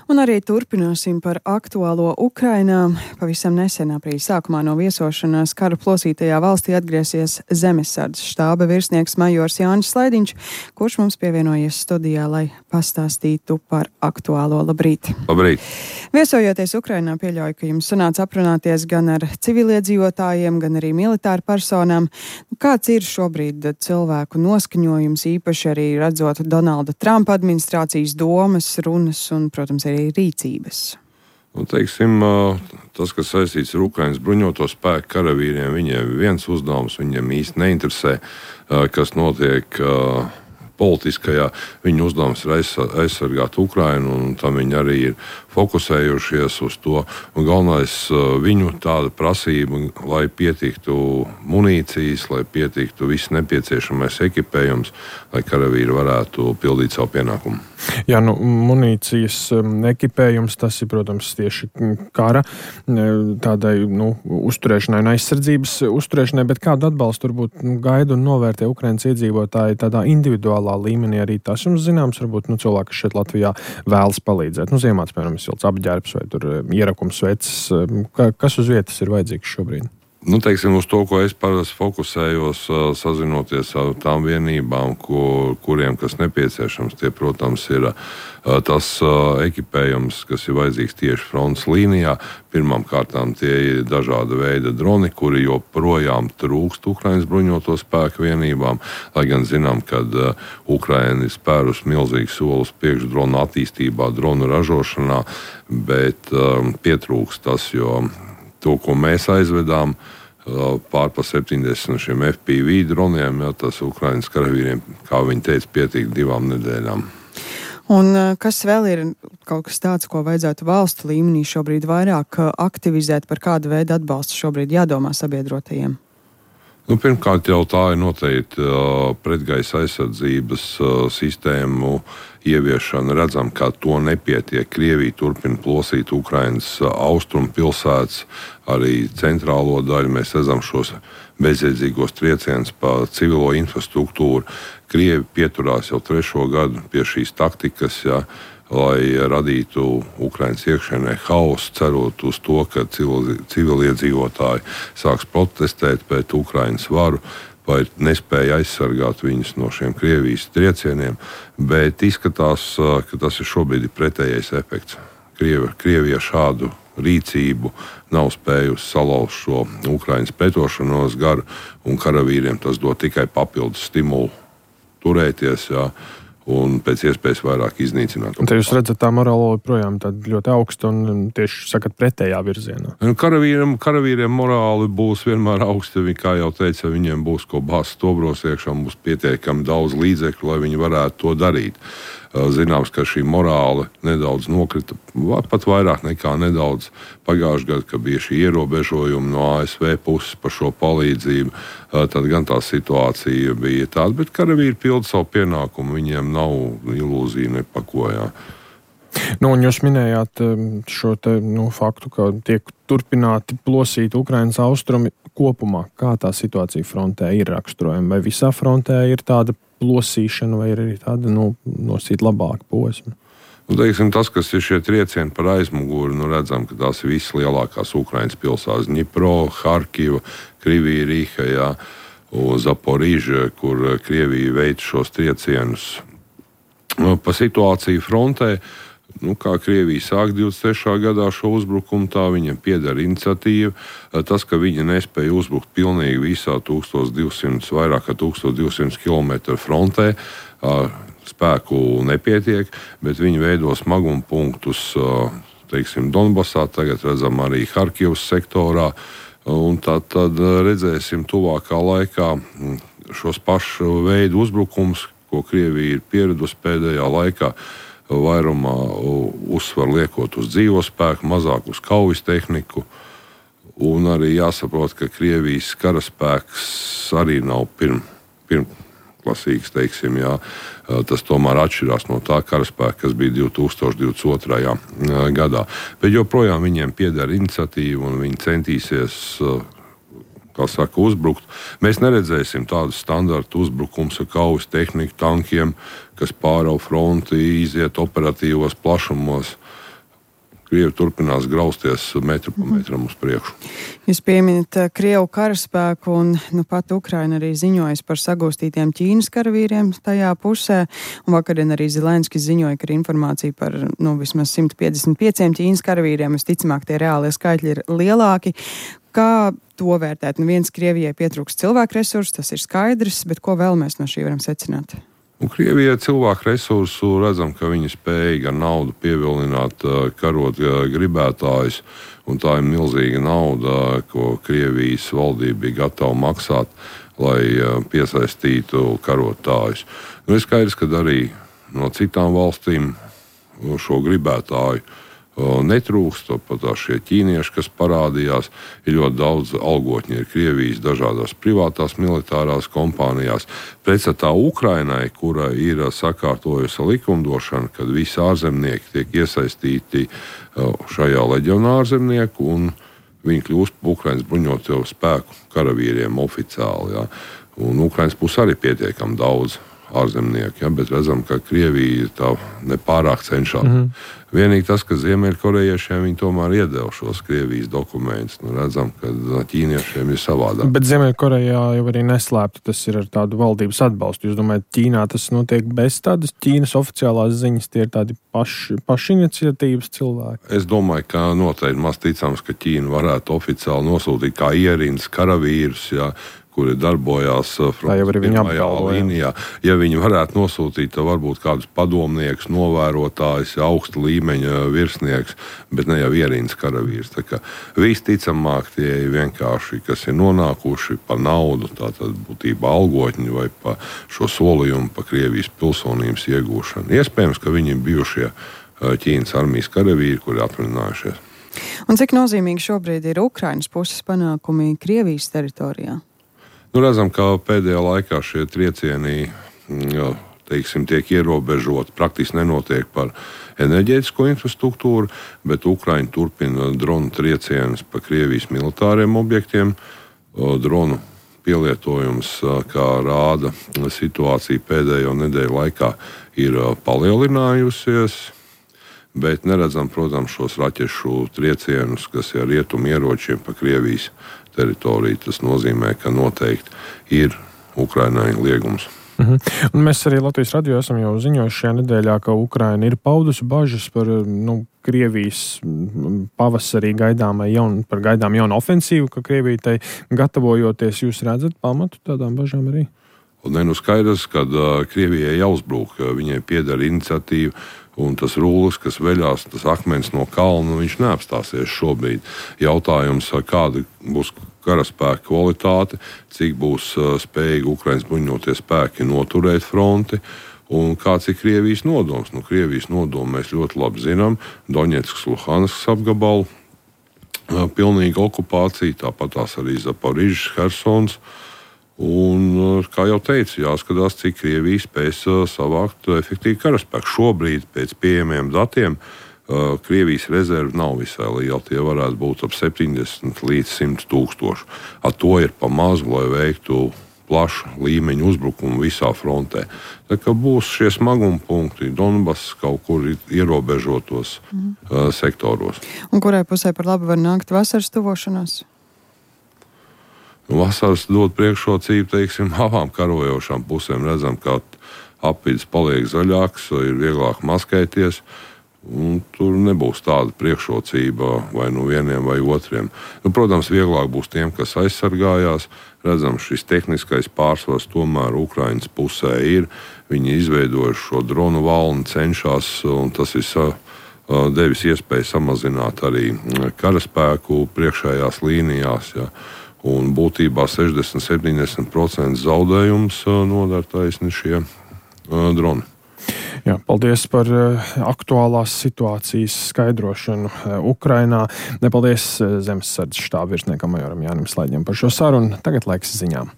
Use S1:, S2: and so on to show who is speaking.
S1: Un arī turpināsim par aktuālo Ukrainā. Pavisam nesen aprīļa sākumā no viesošanās kara plosītajā valstī atgriezies Zemesardzes štāba virsnieks majors Jānis Slaidiņš, kurš mums pievienojies studijā, lai pastāstītu par aktuālo. Labrīt!
S2: Labrīt!
S1: Viesojoties Ukrainā, pieļauju, ka jums sanāca aprunāties gan ar civiliedzīvotājiem, gan arī militāru personām. Kāds ir šobrīd cilvēku noskaņojums, īpaši arī redzot Donalda Trumpa administrācijas domas, runas un, protams, arī rīcības?
S2: Teiksim, tas, kas saistīts ar Ukrainas bruņoto spēku karavīriem, viņiem ir viens uzdevums, viņiem īsti neinteresē, kas notiek politiskajā. Viņu uzdevums ir aizsargāt Ukrainu, un tam viņi arī ir fokusējušies uz to. Un galvenais viņu tāda prasība, lai pietiktu munīcijas, lai pietiktu viss nepieciešamais ekipējums, lai karavīri varētu pildīt savu pienākumu.
S3: Jā, munīcijas ekipējums, tas ir, protams, tieši kara tādai, uzturēšanai un aizsardzības uzturēšanai, bet kādu atbalstu turbūt gaida un novērtē Ukrainas iedzīvotāji tādā individuālā līmenī arī tas jums zināms, varbūt cilvēki, kas šeit Latvijā vēlas palīdzēt. Ziemāts, piemēram, silts apģērbs vai tur ierakums vecs. Kas uz vietas ir vajadzīgs šobrīd?
S2: Teiksim, uz to, ko es parasti fokusējos, sazinoties ar tām vienībām, kuriem kas nepieciešams. Tie, protams, ir tas ekipējums, kas ir vajadzīgs tieši frontes līnijā. Pirmām kārtām tie ir dažāda veida droni, kuri joprojām trūkst Ukrainas bruņoto spēku vienībām, lai gan zinām, ka Ukraina ir spērus milzīgu solus priekš dronu attīstībā, dronu ražošanā, bet pietrūkst tas, jo to, ko mēs aizvedām, pār pa 70 šiem FPV droniem, tas Ukrainas karavīriem, kā viņi teica, pietiek 2 nedēļām.
S1: Un kas vēl ir kaut kas tāds, ko vajadzētu valstu līmenī šobrīd vairāk aktivizēt, par kādu veidu atbalstu šobrīd jādomā sabiedrotajiem?
S2: Pirmkārt jau tā ir noteikti pretgaisa aizsardzības sistēmu ieviešana. Redzam, ka to nepietiek. Krievija turpina plosīt Ukrainas austrumu pilsētas, arī centrālo daļu. Mēs redzam šos bezjēdzīgos triecienus pa civilo infrastruktūru. Krievi pieturās jau 3. gadu pie šīs taktikas, lai radītu Ukrainas iekšēnē hausu, cerot uz to, ka civiliedzīvotāji sāks protestēt pret Ukrainas varu vai nespēja aizsargāt viņus no šiem Krievijas triecieniem, bet izskatās, ka tas ir šobrīd pretējais efekts. Krievija šādu rīcību nav spējusi salauzt šo Ukrainas pretošanos garu, un karavīriem tas dod tikai papildus stimulu turēties, un pēc iespējas vairāk iznīcināt.
S3: Te jūs redzat, tā morāla joprojām ļoti augsta un tieši sakat pretējā virzienā.
S2: Karavīriem morāli būs vienmēr augsta. Kā jau teica, viņiem būs ko bāzt stobros iekšā, būs pietiekami daudz līdzekļu, lai viņi varētu to darīt. Zināms, ka šī morāla nedaudz nokrita, pat vairāk nekā nedaudz pagājušajā gadā, kad bija šī ierobežojuma no ASV puses par šo palīdzību. Tad gan tā situācija bija tāda, bet karavīri pilda savu pienākumu, viņiem nav ilūzija nepakojā.
S3: Un jūs minējāt šo faktu, ka tiek turpināti plosīt Ukrainas austrumi kopumā. Kā tā situācija frontē ir raksturojama? Vai visā frontē ir tāda plosīšana, vai ir arī tāda nosīt labāka posma?
S2: Teiksim, tas, kas ir šie triecieni par aizmuguri, redzam, ka tās ir visas lielākās Ukrainas pilsētas. Dņipro, Harkiva, Krivija, Rīha, Zaporīža, kur Krievija veic šos triecienus. Pa situāciju frontē, kā Krievija sāk 23. gadā šo uzbrukumu, tā viņiem pieder iniciatīva. Tas, ka viņi nespēja uzbrukt pilnīgi visā 1200, vairāk kā 1200 km frontē, spēku nepietiek, bet viņi veido smaguma punktus, teiksim, Donbasā, tagad redzam arī Harkivas sektorā, un tad redzēsim tuvākā laikā šos pašu veidu uzbrukums, ko Krievija ir pieradusi pēdējā laikā, vairumā uzsvar liekot uz dzīvo spēku, mazāk uz kaujas tehniku. Un arī jāsaprot, ka Krievijas karaspēks arī nav pirmklasīgs, teiksim, tas tomēr atšķirās no tā karaspēka, kas bija 2022. Gadā. Bet joprojām viņiem pieder iniciatīva un viņi centīsies uzbrukt. Mēs neredzēsim tādu standartu uzbrukums ar kaujas tehniku, tankiem, kas pārauj fronti, iziet operatīvos plašumos. Krievi turpinās grausties metru pa metram uz priekšu.
S1: Jūs pieminat Krievu karaspēku, un pat Ukraina arī ziņojas par sagūstītiem Ķīnas karavīriem tajā pusē. Un vakarien arī Zelenskis ziņoja, ka ir informācija par vismaz 155 Ķīnas karavīriem. Visticamāk, tie reālie skaitļi ir lielāki. Kā to vērtēt? Viens, Krievijai pietrūkst cilvēku resursu, tas ir skaidrs, bet ko vēl mēs no šī varam secināt?
S2: Krievijai cilvēku resursu redzam, ka viņi spēja ar naudu pievilināt karot gribētājus, un tā ir milzīga nauda, ko Krievijas valdība bija gatava maksāt, lai piesaistītu karotājus. Ir skaidrs, ka arī no citām valstīm šo gribētāju netrūkst, pat šie ķīnieši, kas parādījās, ir ļoti daudz algotņi, ir Krievijas dažādās privātās militārās kompānijās. Pretstatā Ukrainai, kura ir sakārtojusi likumdošanu, kad visi ārzemnieki tiek iesaistīti šajā leģionārzemnieku, un viņi kļūst par Ukrainas bruņoto spēku karavīriem oficiāli. Ja. Un Ukrainas puse arī pietiekami daudz ārzemnieki, bet redzam, ka Krievija tā nepārāk cenšas. Vienīgi tas, ka ziemeļkorejiešiem viņi tomēr iedeva šos Krievijas dokumentus. Redzam, ka ķīniešiem ir savādāk. Bet
S3: Ziemeļkorejā jau arī neslēpti tas ir ar tādu valdības atbalstu. Jūs domājat, Ķīnā tas notiek bez tādas Ķīnas oficiālās ziņas, tie ir tādi pašiniciatīvas cilvēki?
S2: Es domāju, ka noteikti maz ticams, ka Ķīna varētu oficiāli nosūtīt kā ierindas karavīrus, kuri darbojās pirmajā līnijā. Ja viņi varētu nosūtīt, tad varbūt kādus padomniekus, novērotājus, augsta līmeņa virsnieks, bet ne jau ierindas karavīrs. Tā kā visticamāk tie ir vienkārši, kas ir nonākuši pa naudu, tātad būtībā algotņi vai pa šo solījumu pa Krievijas pilsonības iegūšanu. Iespējams, ka viņi ir bijušie Ķīnas armijas karavīri, kuri atvaļinājušies.
S1: Un cik nozīmīgi šobrīd ir Ukrainas puses panākumi Krievijas teritorijā?
S2: Redzam, ka pēdējā laikā šie triecieni tiek ierobežoti. Praktiski nenotiek par enerģētisko infrastruktūru, bet Ukraina turpina dronu triecienus pa Krievijas militāriem objektiem. Dronu pielietojums, kā rāda situācija pēdējo nedēļu laikā, ir palielinājusies. Bet neredzam, protams, šos raķešu triecienus, kas ir rietumu ieročiem pa Krievijas teritoriju. Tas nozīmē, ka noteikti ir Ukrainai liegums.
S3: Un mēs arī Latvijas radio esam jau ziņojuši šajā nedēļā, ka Ukraina ir paudusi bažas par Krievijas pavasarī gaidāmu jaunu ofensīvu, ka Krievija tai gatavojoties. Jūs redzat pamatu tādām bažām arī?
S2: Skaidrs, ka Krievijai jāuzbrūk, viņai pieder iniciatīva, un tas rullis, kas veļās, tas akmens no kalna, viņš neapstāsies šobrīd. Jautājums, kāda būs karaspēka kvalitāte, cik būs spējīgi Ukrainas bruņotie spēki noturēt fronti, un kāds ir Krievijas nodoms. Krievijas nodomu mēs ļoti labi zinām. Doņetskas, Luhanskas apgabalu pilnīga okupācija, tāpat tās arī Zaporižas, Hersons. Un, kā jau teicu, jāskatās, cik Krievija spēs savākt efektīvu karaspēku. Šobrīd, pēc pieejamiem datiem, Krievijas rezerve nav visai liela. Tie varētu būt ap 70 līdz 100 tūkstoši. Ar to ir pa mazu, lai veiktu plašu līmeņu uzbrukumu visā frontē. Tā kā būs šie smaguma punkti Donbass kaut kur ierobežotos sektoros.
S1: Un kurai pusē par labu var nākt vasaras tuvošanās?
S2: Vasaras dod priekšrocību, abām karojošām pusēm. Redzam, ka apvidus paliek zaļāks, ir vieglāk maskēties, un tur nebūs tāda priekšrocība vai vieniem vai otriem. Protams, vieglāk būs tiem, kas aizsargājās. Redzam, šis tehniskais pārsvars tomēr Ukrainas pusē ir. Viņi izveidojuši šo dronu valni, cenšas, un tas ir devis iespēju samazināt arī karaspēku priekšējās līnijās. Ja. Un būtībā 60-70% zaudējums nodara taisni šie droni.
S3: Jā, paldies par aktuālās situācijas skaidrošanu Ukrainā. Paldies Zemesardzes štāba virsniekam majoram Jānim Slaiģim par šo sarunu. Tagad laiks ziņām.